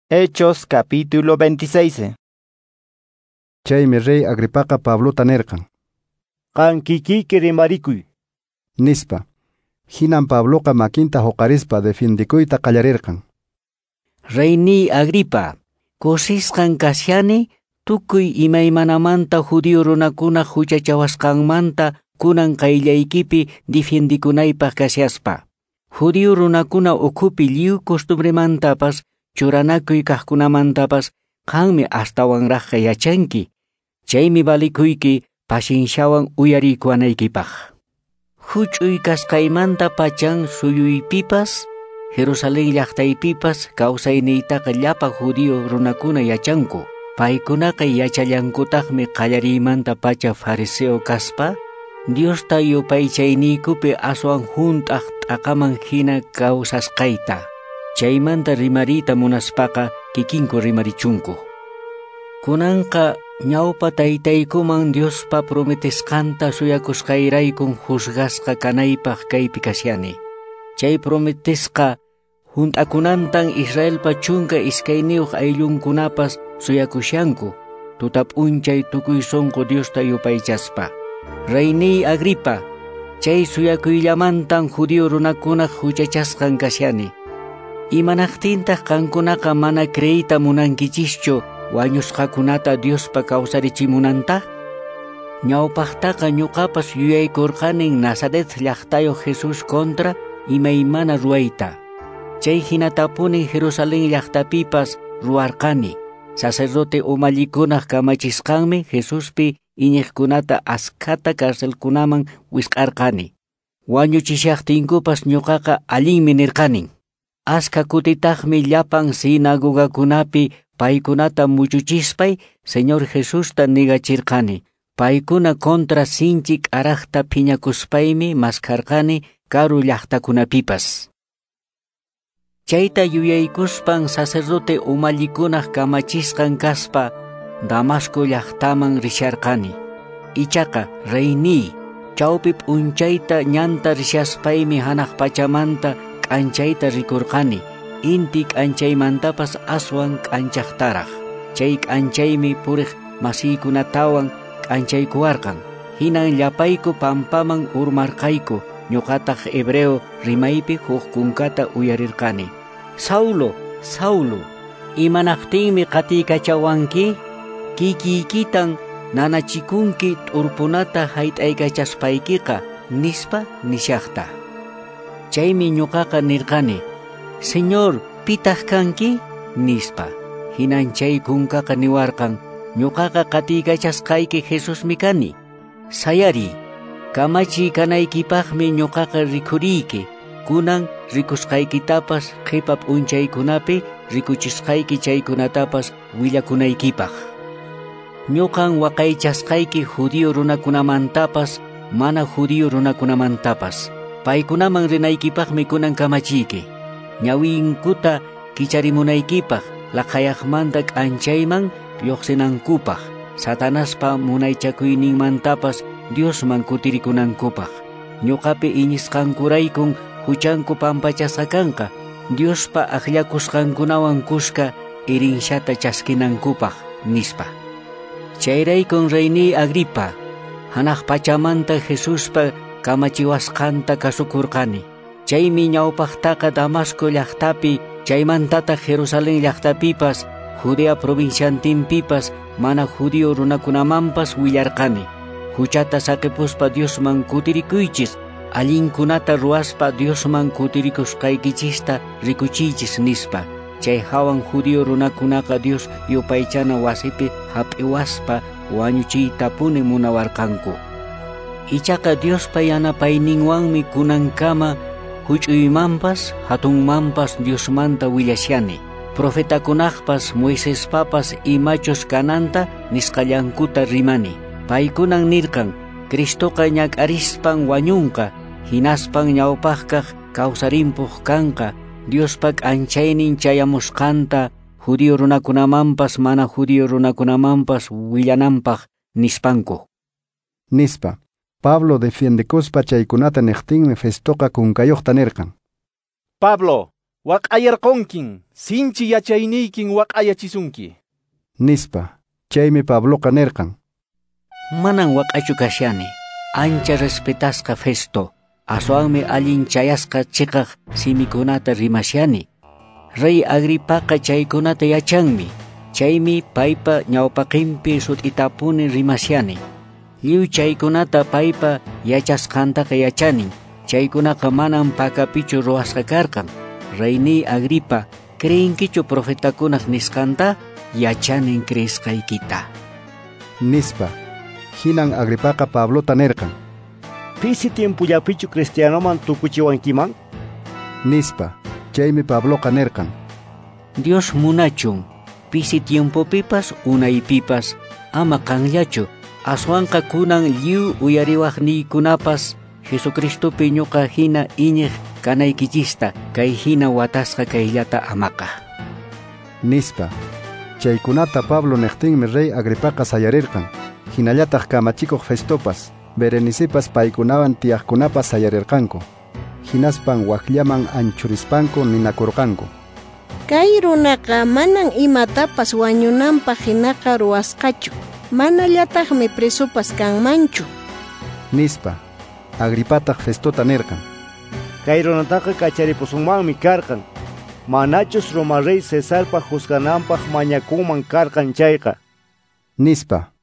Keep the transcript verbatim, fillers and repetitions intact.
Hechos capítulo veintiséis. Chaymi rey Agripaqa Pablota nirqan: Qan kikiyki rimarikuy, nispa. Hinan Pabloqa makinta huqarispa defiendikuyta qallarirqan. Reyniy Agripa, kusisqan kashani tukuy imaymanamanta judío runakuna huchachawasqanmanta kunan qayllaykipi defiendikunaypaq kashaspa. Judío runakuna ukhupi lliw costumbremantapas churanakuy kaqkunamantapas qanmi astawanraqqa yachanki. Chaymi valikuyki pasinshawan uyarikuwanaykipaq. Huch'uy kasqaymanta pachan suyuypipas, Jerusalén llaqtaypipas kawsayniytaqa llapa judío runakuna yachanku. Paykunaqa yachallankutaqmi qallariymanta pacha fariseo kaspa, Diosta yupaychayniykupi aswan hunt'aq t'aqaman hina kawsasqayta. Chaymanta rimariyta munaspaqa kikinku rimarichunku. Kunanqa ñawpa taytaykuman Diospa prometesqanta suyakusqayraykun juzgasqa kanaypaq kaypi kashani. Chay prometesqa hunt'akunantan Israelpa chunka iskayniyuq ayllunkunapas suyakushanku, tuta p'unchay tukuy sunqu Diosta yupaychaspa. Reyniy Agripa, chay suyakuyllamantan judío runakunaq huchachasqan kashani. Imanaqtintaq qankunaqa mana creeyta munankichischu wañusqakunata Diospa kawsarichimunanta? Ñawpaqtaqa ñuqapas yuyaykurqanin Nazaret llaqtayuq Jesús contra imaymana ruwayta. Chay hinatapunin Jerusalén llaqtapipas ruwarqani. Sacerdote umallikunaq kamachisqanmi Jesuspi iñiqkunata askhata carcelkunaman wisq'arqani. Wañuchishaqtinkupas ñuqaqa allinmi nirqanin. Askha kutitaqmi llapan sinagogakunapi paykunata muchuchispay Señor Jesusta nigachirqani. Paykuna contra sinchi k'araqta phiñakuspaymi maskharqani karu llaqtakunapipas. Chayta yuyaykuspan sacerdote umallikunaq kamachisqan kaspa Damasco llaqtaman risharqani. Ichaqa reyniy, chawpi p'unchayta ñanta rishaspaymi hanaq pachamanta k'anchayta rikurqani, inti k'anchaymantapas aswan k'anchaqtaraq. Chay k'anchaymi puriq masiykunatawan k'anchaykuwarqan. Hinan llapayku pampaman urmarqayku, ñuqataq hebreo rimaypi huk kunkata uyarirqani. Saulo, Saulo, imanaqtinmi qatiykachawanki? Kikiykitan nanachikunki t'urpunata hayt'aykachaspaykiqa, nispa nishaqta. Chaymi ñuqaqa nirqani: Señor, pitaq kanki? Nispa. Hinan chay kunkaqa niwarqan: ñuqaqa qatiykachasqayki Jesusmi kani. Sayariy, kamachiy kanaykipaqmi ñuqaqa rikhuriyki. Kunan rikusqaykitapas qhipa p'unchaykunapi rikuchisqayki chaykunatapas willakunaykipaq. Ñuqan waqaychasqayki judío runakunamantapas mana judío runakunamantapas. Paykunaman rinaykipaqmi kunan kamachiyki. Ñawinkuta kicharimunaykipaq, laqhayaqmanta k'anchayman lluqsinankupaq, Satanaspa munaychakuyninmantapas Diosman kutirikunankupaq. Ñuqapi iñisqankuraykun huchanku pampachasqa kanqa, Diospa akllakusqankunawan kuska irinshata chaskinankupaq, nispa. Chayraykun reyniy Agripa, hanaq pachamanta Jesuspa kamachiwasqanta kasukurqani. Chaymi ñawpaqtaqa Damasco llaqtapi, chaymantataq Jerusalén llaqtapipas, Judea provinciantinpipas, mana judío runakunamanpas willarqani. Huchata saqipuspa Diosman kutirikuychis, allinkunata ruwaspa Diosman kutirikusqaykichista rikuchiychis, nispa. Chay hawan judío runakunaqa Dios yupaychana wasipi hap'iwaspa wañuchiytapuni munawarqanku. Ichaqa Diospa yanapayninwanmi kunankama huch'uymanpas hatunmanpas Diosmanta willashani. Profetakunaqpas Moisespapas imachus kananta nisqallankuta rimani. Paykunan nirqan: Cristoqa ñak'arispan wañunqa, hinaspan ñawpaqkaq kawsarimpuq kanqa, Diospa k'anchaynin chayamusqanta judío runakunamanpas mana judío runakunamanpas willananpaq, nispanku. Nispa. Pablo defiendekuspa chaykunata niqtinmi Festoqa kunkayuqta nirqan: Pablo, Waq'ayarqunkin, sinchi yachayniykin waq'ayachisunki. Nispa. Chaymi Pabloqa nirqan: Manan waq'achu kashani, ancha respetasqa Festo, aswanmi allin chayasqa chiqaq simikunata rimashani. Rey Agripaqa chaykunata yachanmi, chaymi paypa ñawpaqinpi sut'itapuni rimashani. Lliw chaykunata paypa yachasqantaqa yachanin, chaykunaqa manan pakapichu ruwasqa karqan. Reyniy Agripa, creenkichu profetakunaq nisqanta? Yachanin creesqaykita. Nispa. Hinan Agripaqa Pablota nirqan: Pisi tiempollapichu cristianoman tukuchiwankiman? Nispa. Chaymi Pabloqa nirqan: Dios munachun, pisi tiempopipas unaypipas, ama qanllachu, aswanqa kunan lliw uyariwaqniykunapas Jesucristopi ñuqa hina iñiq kanaykichista kay hina watasqa kayllata amaqa. Nispa. Chaykunata Pablo niqtinmi rey Agripaqa sayarirqan, hinallataq kamachikuq Festopas, Berenicepas paykunawan tiyaqkunapas sayarirqanku. Hinaspan wakllaman anchurispanku ninakurqanku: Kay runaqa manan imatapas wañunanpaq hinaqa ruwasqachu, manallataqmi presopas kanmanchu. Nispa. Agripataq Festota nirqan: Kay runataqa kacharipusunmanmi karqan, manachus Roma rey Cesarpa juzgananpaq mañakunman karqan chayqa. Nispa.